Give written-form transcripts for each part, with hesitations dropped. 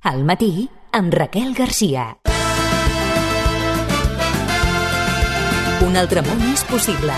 Al matí, amb Raquel Garcia. Un altre món és possible.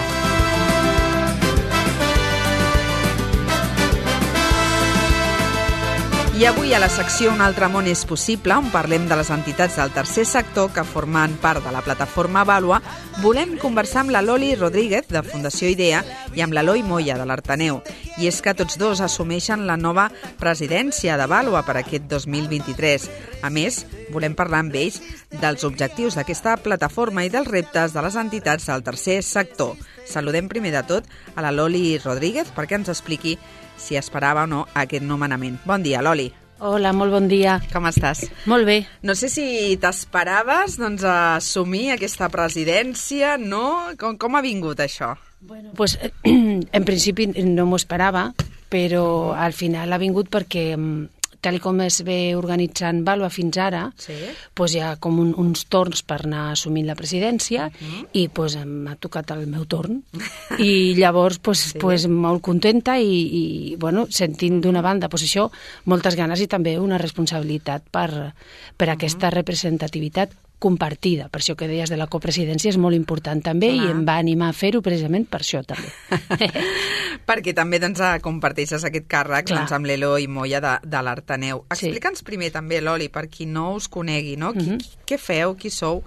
I avui a la secció Un altre món és possible, on parlem de les entitats del tercer sector que formen part de la plataforma Vàlua, volem conversar amb la Loli Rodríguez, de Fundació IDEA, i amb l'Eloi Moya, de l'Artaneu. I és que tots dos assumeixen la nova presidència de Vàlua per aquest 2023. A més, volem parlar amb ells dels objectius d'aquesta plataforma i dels reptes de les entitats del tercer sector. Saludem primer de tot a la Loli Rodríguez perquè ens expliqui si esperava o no aquest nomenament. Bon dia, Loli. Hola, molt bon dia. Com estàs? Molt bé. No sé si t'esperaves assumir aquesta presidència, no? Com ha vingut això? Bueno, pues, en principi no m'ho esperava, però al final ha vingut perquè tal com es ve organitzant Vàlua fins ara, Sí. pues hi ha com uns torns per anar assumint la presidència i pues, m'ha tocat el meu torn. I llavors pues, molt contenta i bueno, sentint d'una banda pues, això, moltes ganes i també una responsabilitat per aquesta representativitat compartida. Per això que deies de la copresidència és molt important també i em va animar a fer-ho precisament per això també. Perquè també comparteixes aquest càrrec amb l'Eloi Moya de l'Artaneu. Explica'ns primer també, Loli, per qui no us conegui, no? Què feu, qui sou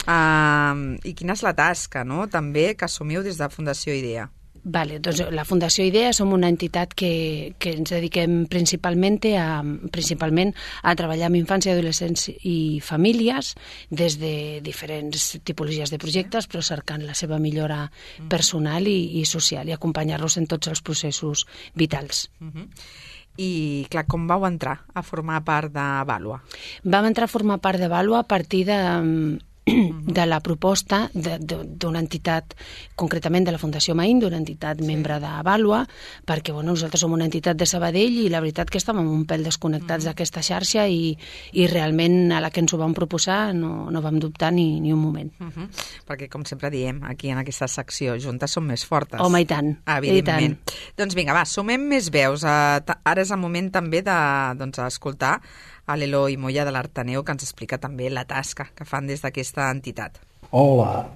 i quina és la tasca, no? També que assumiu des de Fundació IDEA. Vale, doncs la Fundació IDEA som una entitat que ens dediquem principalment a treballar amb infants i adolescents i famílies des de diferents tipologies de projectes, però cercant la seva millora personal i social i acompanyar-los en tots els processos vitals. I, clar, com vau entrar a formar part de Vàlua? Vam entrar a formar part de Vàlua a partir de la proposta d'una entitat, concretament de la Fundació Maín, d'una entitat membre de Vàlua, perquè nosaltres som una entitat de Sabadell i la veritat que estàvem un pèl desconnectats d'aquesta xarxa i realment a la que ens ho vam proposar no vam dubtar ni un moment. Perquè, com sempre diem, aquí en aquesta secció, juntes som més fortes. Home, i tant. Evidentment. Doncs vinga, va, sumem més veus. Ara és el moment també d'escoltar a l'Eloi Moya de l'Artaneu, que ens explica també la tasca que fan des d'aquesta entitat. Hola,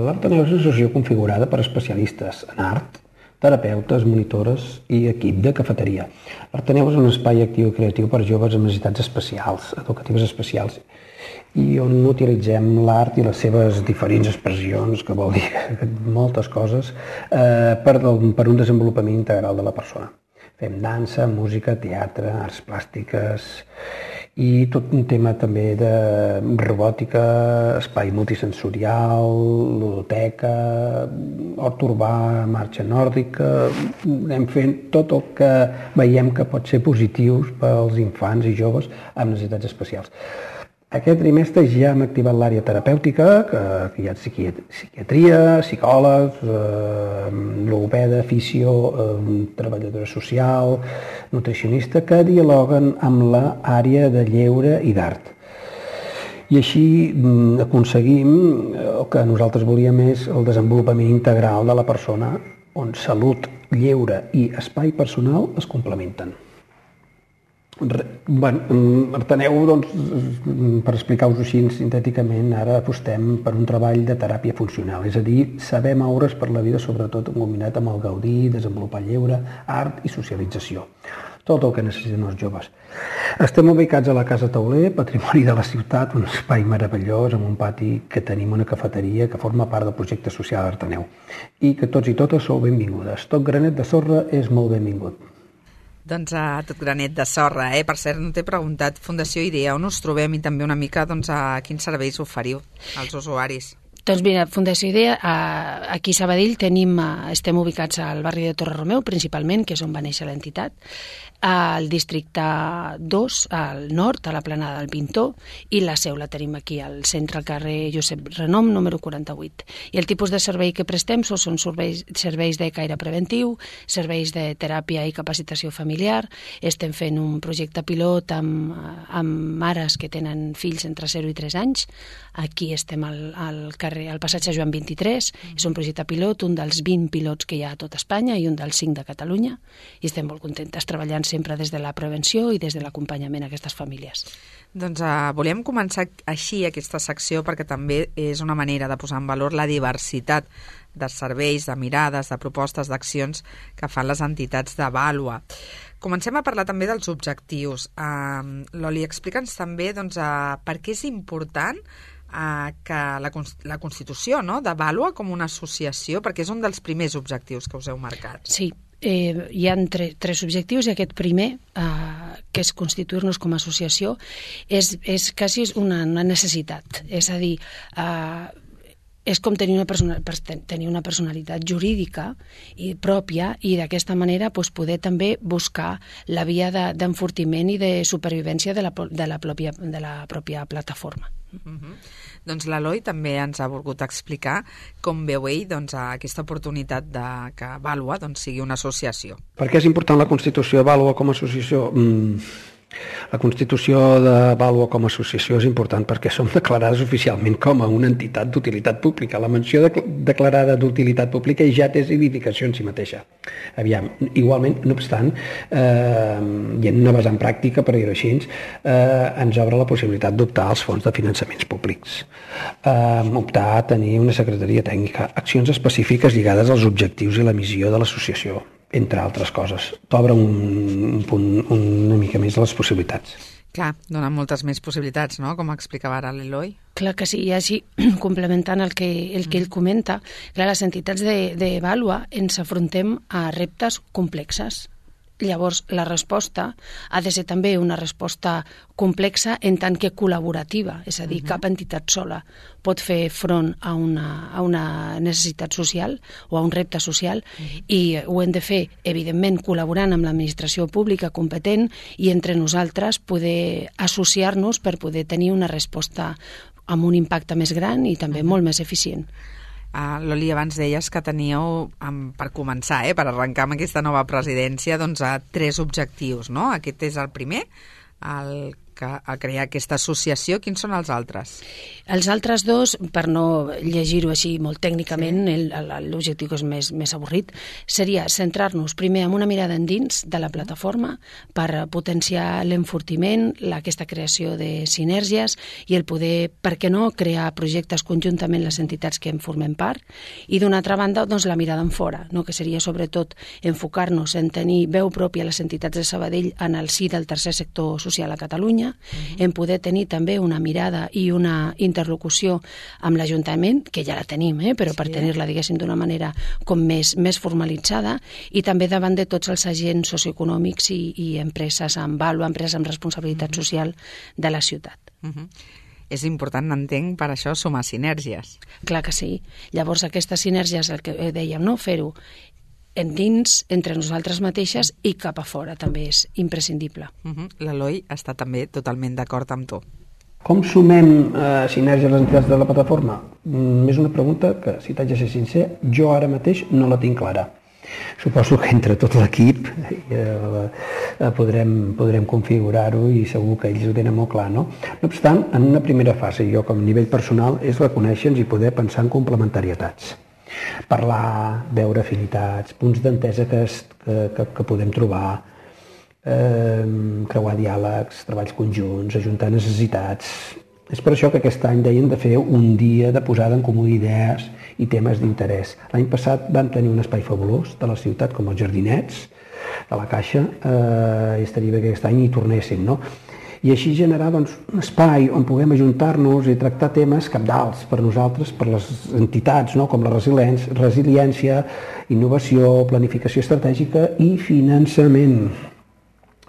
l'Artaneu és una associació configurada per especialistes en art, terapeutes, monitores i equip de cafeteria. L'Artaneu és un espai actiu i creatiu per joves amb necessitats especials, educatives especials, i on utilitzem l'art i les seves diferents expressions, que vol dir moltes coses, per un desenvolupament integral de la persona. Fem dansa, música, teatre, arts plàstiques i tot un tema també de robòtica, espai multisensorial, ludoteca, hort urbà, marxa nòrdica. Anem fent tot el que veiem que pot ser positiu pels infants i joves amb necessitats especials. Aquest trimestre ja hem activat l'àrea terapèutica, que hi ha psiquiatria, psicòlegs, logopeda, fisio, treballadora social, nutricionista, que dialoguen amb l'àrea de lleure i d'art. I així aconseguim el que nosaltres volíem és el desenvolupament integral de la persona, on salut, lleure i espai personal es complementen. Artaneu, per explicar-vos així sintèticament, ara apostem per un treball de teràpia funcional, és a dir, saber moure's per la vida, sobretot combinat amb el gaudir, desenvolupar lleure, art i socialització. Tot el que necessiten els joves. Estem ubicats a la Casa Tauler, patrimoni de la ciutat, un espai meravellós amb un pati que tenim una cafeteria que forma part del projecte social Artaneu i que tots i totes sou benvingudes. Tot granet de sorra és molt benvingut. Doncs a tot granet de sorra, Per cert, no t'he preguntat, Fundació IDEA, on us trobem i també una mica a quins serveis oferiu als usuaris? Doncs mira, Fundació IDEA, aquí a Sabadell estem ubicats al barri de Torre Romeu, principalment, que és on va néixer l'entitat, al districte 2, al nord, a la Planada del Pintor, i la seu la tenim aquí al centre, al carrer Josep Renom, número 48. I el tipus de servei que prestem són serveis de caire preventiu, serveis de teràpia i capacitació familiar. Estem fent un projecte pilot amb mares que tenen fills entre 0 i 3 anys. Aquí estem al passatge Joan 23. És un projecte pilot, un dels 20 pilots que hi ha a tot Espanya i un dels 5 de Catalunya. I estem molt contentes treballant sempre des de la prevenció i des de l'acompanyament a aquestes famílies. Doncs volíem començar així aquesta secció perquè també és una manera de posar en valor la diversitat de serveis, de mirades, de propostes, d'accions que fan les entitats de Vàlua. Comencem a parlar també dels objectius. Loli, explica'ns també per què és important que la Constitució de Vàlua com una associació, perquè és un dels primers objectius que us heu marcat. Sí, hi ha tres objectius i aquest primer, que és constituir-nos com a associació, és quasi una necessitat. És a dir, és com tenir una personalitat jurídica i pròpia i d'aquesta manera poder també buscar la via d'enfortiment i de supervivència de la pròpia plataforma. Doncs l'Eloi també ens ha volgut explicar com veu ell aquesta oportunitat que Vàlua sigui una associació. Per què és important la Constitució de Vàlua com a associació? La Constitució de Vàlua com a associació és important perquè som declarades oficialment com a una entitat d'utilitat pública. La menció declarada d'utilitat pública ja té significació en si mateixa. Aviam, igualment, no obstant, i en una vessant pràctica, per dir-ho així, ens obre la possibilitat d'optar als fons de finançaments públics. Optar a tenir una secretaria tècnica, accions específiques lligades als objectius i la missió de l'associació, entre altres coses. T'obre una mica més les possibilitats. Clar, donen moltes més possibilitats, no?, com explicava ara l'Eloi. Clar que sí, i així, complementant el que ell comenta, clar, les entitats de Vàlua ens afrontem a reptes complexes. Llavors, la resposta ha de ser també una resposta complexa en tant que col·laborativa, és a dir, cap entitat sola pot fer front a una necessitat social o a un repte social i ho hem de fer, evidentment, col·laborant amb l'administració pública competent i entre nosaltres poder associar-nos per poder tenir una resposta amb un impacte més gran i també molt més eficient. Loli, abans deies que teníeu, per començar, per arrencar amb aquesta nova presidència, 3 objectius, no? Aquest és el primer, a crear aquesta associació. Quins són els altres? Els altres dos, per no llegir-ho així molt tècnicament, l'objectiu que és més avorrit, seria centrar-nos primer en una mirada endins de la plataforma per potenciar l'enfortiment, aquesta creació de sinergies i el poder, per què no, crear projectes conjuntament les entitats que en formem part i d'una altra banda la mirada en fora, que seria sobretot enfocar-nos en tenir veu pròpia a les entitats de Sabadell en el si del tercer sector social a Catalunya, en poder tenir també una mirada i una interlocució amb l'Ajuntament, que ja la tenim, però per tenir-la, diguéssim, d'una manera com més formalitzada, i també davant de tots els agents socioeconòmics i empreses amb Vàlua, empreses amb responsabilitat social de la ciutat. És important, entenc, per això sumar sinergies. Clar que sí. Llavors aquestes sinergies, el que dèiem, fer-ho endins, entre nosaltres mateixes i cap a fora, també és imprescindible. L'Eloi està també totalment d'acord amb tu. Com sumem sinergies a les entitats de la plataforma? És una pregunta que, si t'haig de ser sincer, jo ara mateix no la tinc clara. Suposo que entre tot l'equip podrem configurar-ho i segur que ells ho tenen molt clar, no? No obstant, en una primera fase, jo com a nivell personal, és reconèixer-nos i poder pensar en complementarietats. Parlar, veure afinitats, punts d'entesa que podem trobar, creuar diàlegs, treballs conjunts, ajuntar necessitats. És per això que aquest any deien de fer un dia de posada en comú d'idees i temes d'interès. L'any passat vam tenir un espai fabulós de la ciutat, com els jardinets de la Caixa, i estaria bé que aquest any hi tornessin, no? I així generar un espai on puguem ajuntar-nos i tractar temes cabdals per nosaltres, per les entitats, com la resiliència, innovació, planificació estratègica i finançament.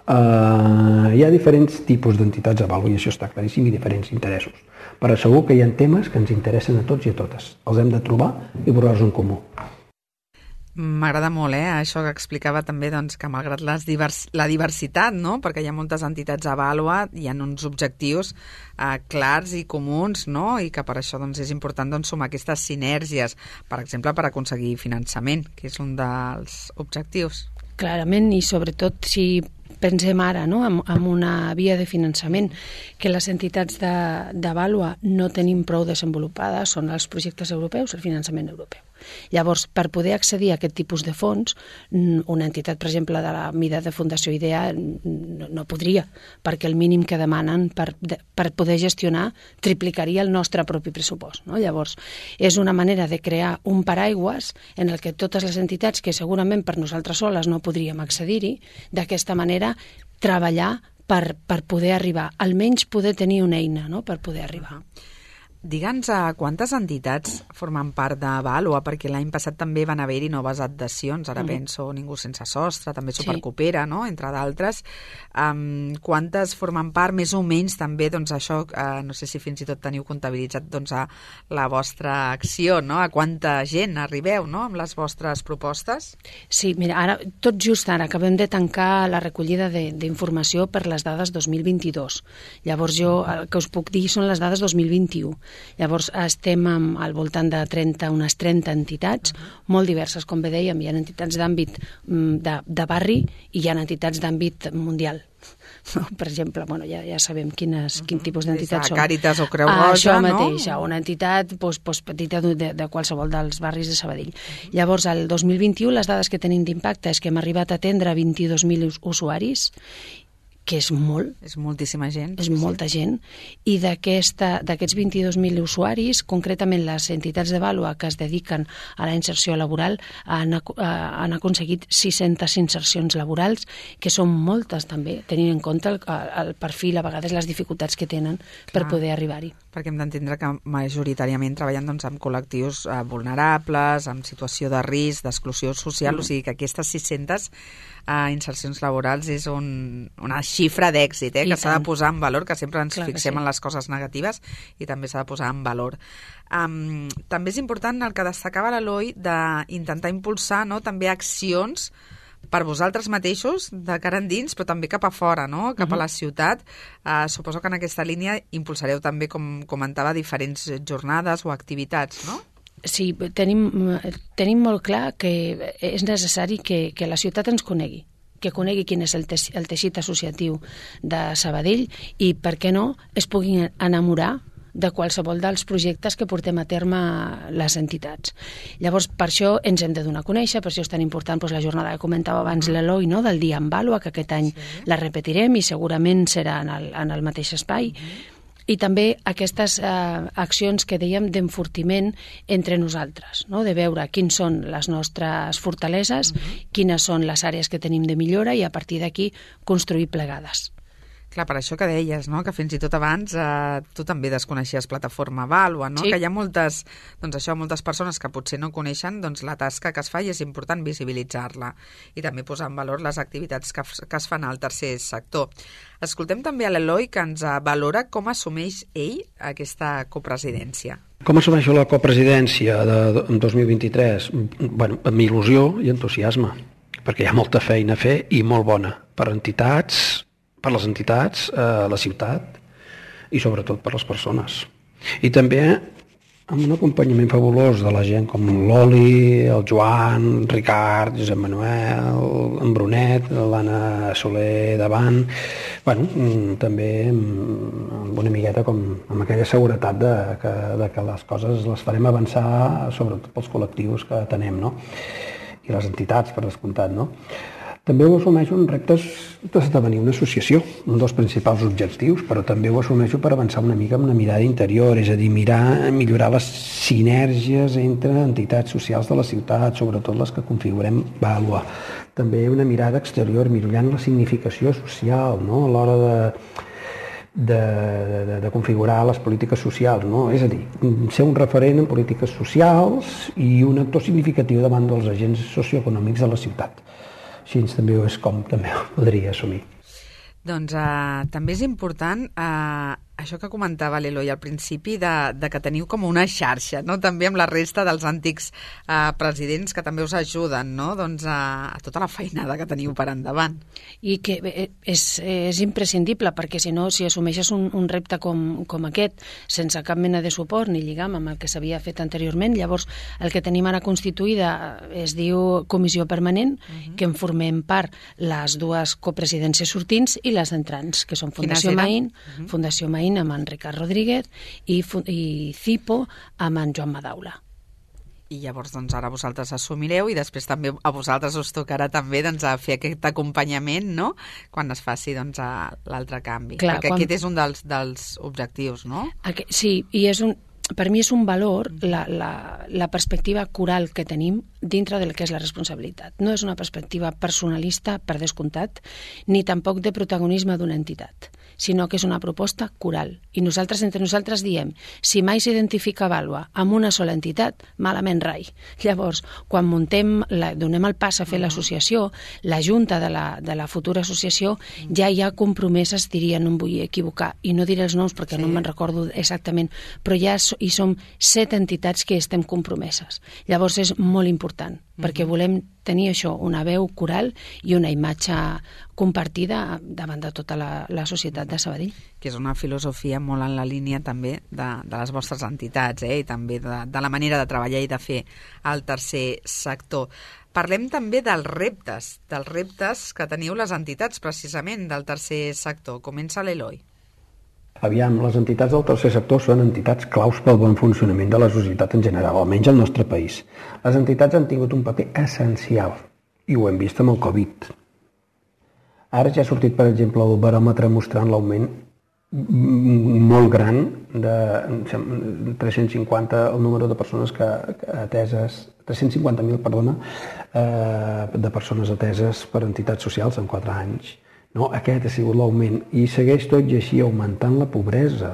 Hi ha diferents tipus d'entitats a Vàlua i això està claríssim i diferents interessos. Però segur que hi ha temes que ens interessen a tots i a totes. Els hem de trobar i posar-los en comú. M'agrada molt, això que explicava també, que malgrat la diversitat, no?, perquè hi ha moltes entitats a Vàlua, hi ha uns objectius clars i comuns, no?, i que per això és important sumar aquestes sinergies, per exemple, per aconseguir finançament, que és un dels objectius. Clarament, i sobretot si pensem ara en una via de finançament que les entitats de Vàlua no tenim prou desenvolupades, són els projectes europeus, el finançament europeu. Llavors, per poder accedir a aquest tipus de fons, una entitat, per exemple, de la mida de Fundació IDEA no podria, perquè el mínim que demanen per poder gestionar triplicaria el nostre propi pressupost, no? Llavors, és una manera de crear un paraigües en el que totes les entitats que segurament per nosaltres soles no podríem accedir-hi, d'aquesta manera treballar per poder arribar, almenys poder tenir una eina, no?, per poder arribar. Digue'ns quantes entitats formen part de Vàlua, perquè l'any passat també van haver-hi noves adhesions, ara penso Ningú sense sostre, també Supercoopera, no?, entre d'altres. Quantes formen part, més o menys també, doncs això, no sé si fins i tot teniu comptabilitzat doncs, a la vostra acció, no?, a quanta gent arribeu, no?, amb les vostres propostes? Sí, mira, ara, tot just ara acabem de tancar la recollida d'informació per les dades 2022. Llavors jo el que us puc dir són les dades 2021. Llavors estem al voltant de unes 30 entitats, molt diverses, com bé dèiem, hi ha entitats d'àmbit de barri i hi ha entitats d'àmbit mundial. Per exemple, bueno, ja sabem quin tipus d'entitats són. Càritas o Creu Roja, això no? mateix, una entitat petita de qualsevol dels barris de Sabadell. Llavors, el 2021, les dades que tenim d'impacte és que hem arribat a atendre 22.000 usuaris, que és molt. És moltíssima gent. És molta gent. I d'aquests 22.000 usuaris, concretament les entitats de Vàlua que es dediquen a la inserció laboral han aconseguit 600 insercions laborals, que són moltes també, tenint en compte el perfil, a vegades les dificultats que tenen per poder arribar-hi. Perquè hem d'entendre que majoritàriament treballen doncs, amb col·lectius vulnerables, amb situació de risc, d'exclusió social, o sigui que aquestes 600 insercions laborals és una xifra d'èxit, que s'ha de posar en valor, que sempre ens fixem en les coses negatives i també s'ha de posar en valor. També és important el que destacava l'Eloi d'intentar impulsar també accions per vosaltres mateixos, de cara endins, però també cap a fora, no?, cap a la ciutat. Suposo que en aquesta línia impulsareu també, com comentava, diferents jornades o activitats, no? Sí, tenim molt clar que és necessari que la ciutat ens conegui, que conegui quin és el teixit associatiu de Sabadell i, per què no, es puguin enamorar de qualsevol dels projectes que portem a terme les entitats. Llavors, per això ens hem de donar a conèixer, per això és tan important la jornada que comentava abans l'Eloi, no?, del Dia en Vàlua, que aquest any la repetirem i segurament serà en el mateix espai. I també aquestes accions que dèiem d'enfortiment entre nosaltres, no?, de veure quins són les nostres fortaleses, quines són les àrees que tenim de millora i a partir d'aquí construir plegades. Clar, per això que deies, no?, que fins i tot abans tu també desconeixies Plataforma Vàlua, no?, que hi ha moltes persones que potser no coneixen la tasca que es fa i és important visibilitzar-la i també posar en valor les activitats que es fan al tercer sector. Escoltem també a l'Eloi, que ens valora com assumeix ell aquesta copresidència. Com assumeixo la copresidència de 2023? Bueno, amb il·lusió i entusiasme, perquè hi ha molta feina a fer i molt bona per les entitats, la ciutat i sobretot per les persones. I també amb un acompanyament fabulós de la gent com l'Oli, el Joan, Ricard, Josep Manuel, en Brunet, l'Anna Soler davant, també amb una amigueta amb aquella seguretat de que les coses les farem avançar, sobretot pels col·lectius que tenem, no?, i les entitats, per descomptat, no? També ho assumeixo en reptes d'esdevenir una associació, un dels principals objectius, però també ho assumeixo per avançar una mica amb una mirada interior, és a dir, millorar les sinergies entre entitats socials de la ciutat, sobretot les que configurem Vàlua. També una mirada exterior, millorant la significació social, no?, a l'hora de configurar les polítiques socials, no? És a dir, ser un referent en polítiques socials i un actor significatiu davant dels agents socioeconòmics de la ciutat. Així també és com també ho podria assumir. Doncs també és important això que comentava l'Eloi al principi, de que teniu com una xarxa, no?, també amb la resta dels antics presidents que també us ajuden, no?, doncs a tota la feinada que teniu per endavant. I que és imprescindible, perquè si no, si assumeixes un repte com aquest, sense cap mena de suport ni lligam amb el que s'havia fet anteriorment, llavors el que tenim ara constituïda es diu Comissió Permanent, que en formem part les dues copresidències sortints i les entrants, que són Fundació Maín amb en Ricard Rodríguez i CIPO amb en Joan Madaula. I llavors doncs, ara vosaltres assumireu i després també a vosaltres us tocarà també doncs, a fer aquest acompanyament, no?, quan es faci doncs, l'altre canvi. Clar, perquè aquest és un dels objectius, no? Sí, i per mi és un valor la perspectiva coral que tenim dintre del que és la responsabilitat. No és una perspectiva personalista, per descomptat, ni tampoc de protagonisme d'una entitat, sinó que és una proposta coral. I nosaltres, entre nosaltres, diem, si mai s'identifica Vàlua amb una sola entitat, malament rai. Llavors, quan donem el pas a fer l'associació, la junta de la futura associació ja hi ha compromeses, diria, no em vull equivocar, i no diré els noms perquè no me'n recordo exactament, però ja hi som 7 entitats que estem compromeses. Llavors és molt important, perquè volem tenir això, una veu coral i una imatge compartida davant de tota la societat de Sabadell. Que és una filosofia molt en la línia també de les vostres entitats, i també de la manera de treballar i de fer al tercer sector. Parlem també dels reptes que teniu les entitats, precisament, del tercer sector. Comença l'Eloi. Aviam, les entitats del tercer sector són entitats claus pel bon funcionament de la societat en general, almenys al nostre país. Les entitats han tingut un paper essencial i ho hem vist amb el Covid. Ara ja ha sortit, per exemple, el baròmetre mostrant l'augment molt gran de 350, el número de persones ateses, 350.000, perdona, de persones ateses per entitats socials en 4 anys. No, aquest ha sigut l'augment i segueix tot i així augmentant la pobresa.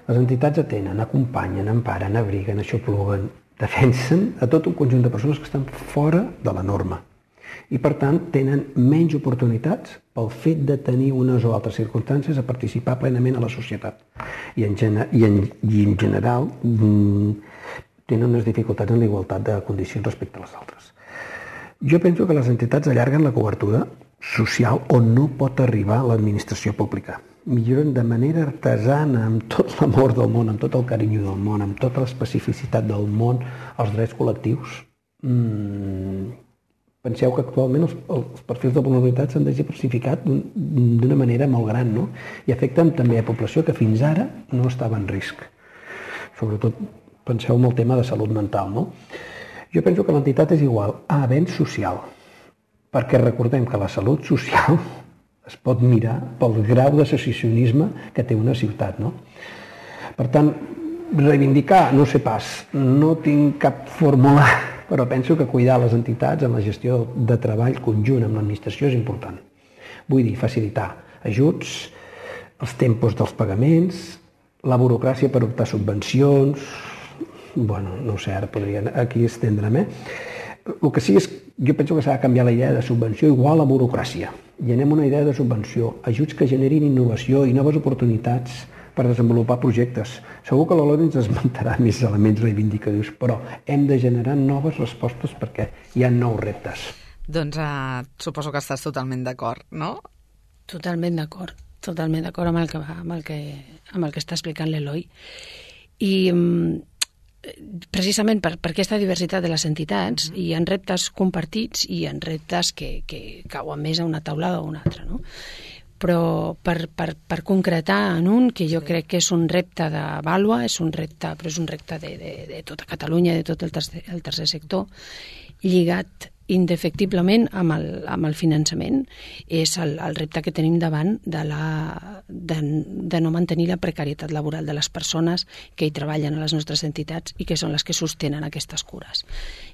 Les entitats atenen, acompanyen, emparen, abriguen, aixopluguen, defensen a tot un conjunt de persones que estan fora de la norma i, per tant, tenen menys oportunitats pel fet de tenir unes o altres circumstàncies a participar plenament a la societat. I en general tenen unes dificultats en la igualtat de condicions respecte a les altres. Jo penso que les entitats allarguen la cobertura social on no pot arribar l'administració pública. Milloren de manera artesana, amb tot l'amor del món, amb tot el carinyo del món, amb tota l'especificitat del món, els drets col·lectius. Penseu que actualment els perfils de vulnerabilitat s'han diversificat d'una manera molt gran, no? I afecten també a població que fins ara no estava en risc. Sobretot penseu en el tema de salut mental, no? Jo penso que l'entitat és igual a avenç social, perquè recordem que la salut social es pot mirar pel grau d'associacionisme que té una ciutat, no? Per tant, reivindicar, no sé pas, no tinc cap fórmula, però penso que cuidar les entitats en la gestió de treball conjunt amb l'administració és important. Vull dir, facilitar ajuts, els tempos dels pagaments, la burocràcia per optar subvencions, bueno, no sé, ara podria aquí estendre'm, El que sí és, jo penso que s'ha de canviar la idea de subvenció igual a burocràcia. I anem a una idea de subvenció, ajuts que generin innovació i noves oportunitats per desenvolupar projectes. Segur que l'Eloi ens esmentarà més elements reivindicatius, però hem de generar noves respostes perquè hi ha nous reptes. Doncs suposo que estàs totalment d'acord, no? Totalment d'acord amb el que està explicant l'Eloi. I precisament per aquesta diversitat de les entitats hi ha reptes compartits i hi ha reptes que cauen més a una taulada o a una altra, no? Però per concretar en un, que jo crec que és un repte de Vàlua, és un repte de tota Catalunya, de tot el tercer sector, lligat indefectiblement amb el finançament, és el repte que tenim davant de no mantenir la precarietat laboral de les persones que hi treballen a les nostres entitats i que són les que sostenen aquestes cures.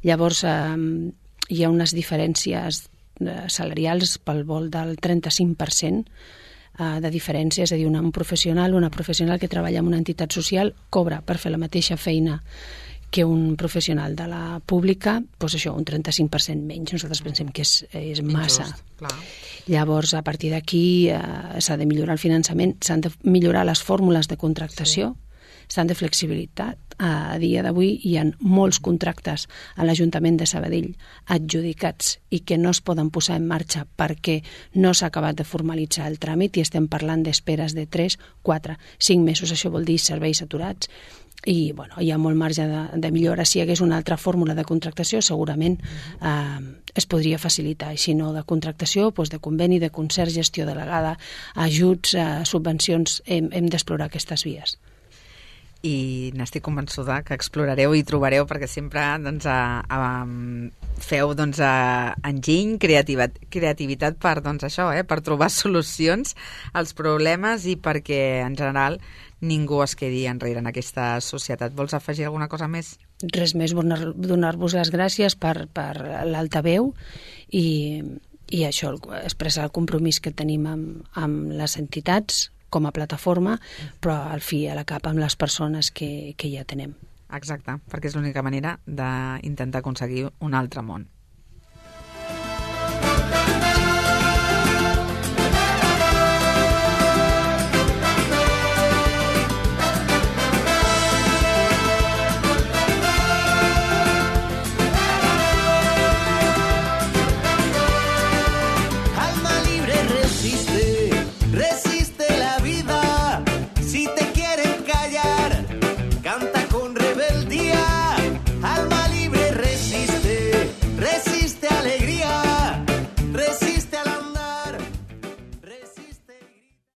Llavors, hi ha unes diferències salarials pel vol del 35% de diferència, és a dir, una professional que treballa en una entitat social cobra per fer la mateixa feina que un professional de la pública, doncs això, un 35% menys. Nosaltres pensem que és massa. Injust, clar. Llavors, a partir d'aquí s'ha de millorar el finançament, s'han de millorar les fórmules de contractació, s'han de flexibilitat. A dia d'avui hi ha molts contractes a l'Ajuntament de Sabadell adjudicats i que no es poden posar en marxa perquè no s'ha acabat de formalitzar el tràmit i estem parlant d'esperes de 3, 4, 5 mesos. Això vol dir serveis aturats. I hi ha molt marge de millora. Si hi hagués una altra fórmula de contractació, segurament es podria facilitar. I si no, de contractació, de conveni, de concert, gestió delegada, ajuts, subvencions, hem d'explorar aquestes vies. i n'estic convençuda que explorareu i trobareu, perquè sempre feu enginy, creativitat per per trobar solucions als problemes i perquè en general ningú es quedi enrere en aquesta societat. Vols afegir alguna cosa més? Res més, donar-vos les gràcies per l'altaveu i això, expressar el compromís que tenim amb les entitats com a plataforma, però al fi a la cap amb les persones que ja tenem. Exacte, perquè és l'única manera d'intentar aconseguir un altre món.